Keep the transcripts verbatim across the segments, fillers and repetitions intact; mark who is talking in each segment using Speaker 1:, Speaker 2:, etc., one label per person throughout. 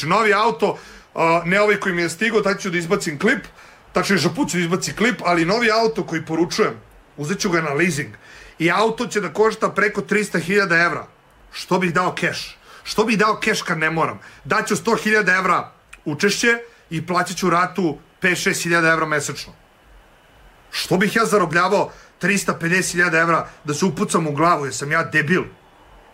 Speaker 1: Znači, novi auto, ne ovaj koji mi je stigao, tako ću da izbacim klip, tačno žaput ću da izbaci klip, ali novi auto koji poručujem, uzet ću ga na leasing i auto će da košta preko trista hiljada evra. Što bih dao keš? Što bih dao keš kad ne moram? Daću sto hiljada evra učešće i plaćat ću ratu pet do šest hiljada evra mesečno. Što bih ja zarobljavao trista pedeset hiljada evra da se upucam u glavu? Jesam ja debil?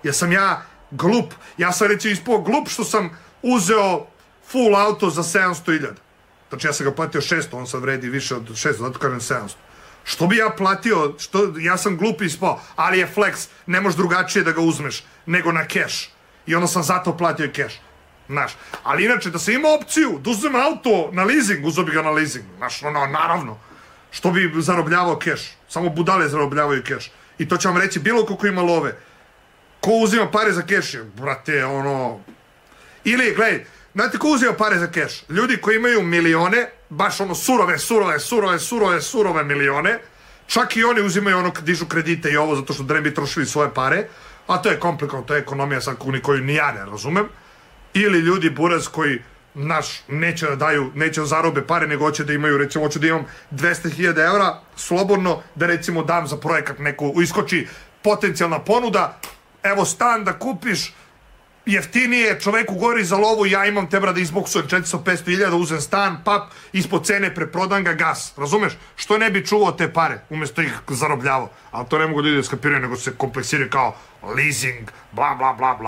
Speaker 1: Jesam ja glup? Ja sam reći ispao glup što sam uzeo full auto za sedamsto hiljada. Znači ja sam ga platio šesto, on sad vredi više od šesto, zato kažem sedamsto. Što bi ja platio, što, ja sam glup ispao, ali je flex, ne možeš drugačije da ga uzmeš nego na keš. I onda sam zato platio i keš. Znaš, ali inače da sam imao opciju da uzmem auto na leasing, uzeo bi ga na leasing. Znaš, ono, naravno. Što bi zarobljavao keš? Samo budale zarobljavaju keš. I to će vam reći bilo ko ko ima love. Ko uzima pare za keš? Brate, ono... Ili, gledaj, znate ko uzima pare za keš? Ljudi koji imaju milione, baš ono surove, surove, surove, surove, surove milione, čak i oni uzimaju ono, dižu kredite i ovo zato što da ne bi trošili svoje pare, a to je komplikovano, to je ekonomija sad koju ni ja ne razumem. Ili ljudi buraz koji, naš, neće da daju, neće da zarobe pare, nego hoće da imaju, recimo, hoću da imam dvesta hiljada evra, slobodno, da recimo dam za projekat neku, iskoči potencijalna ponuda, evo stan da kupiš, jeftinije, čoveku gori za lovu, ja imam te bra da izboksujem četiristo do petsto hiljada, uzem stan, pap, ispod cene, preprodam ga, gas, razumeš? Što ne bi čuvao te pare, umjesto ih zarobljavao? Ali to ne mogu ljudi da skapiraju, nego se kompleksiraju kao leasing, bla bla bla bla.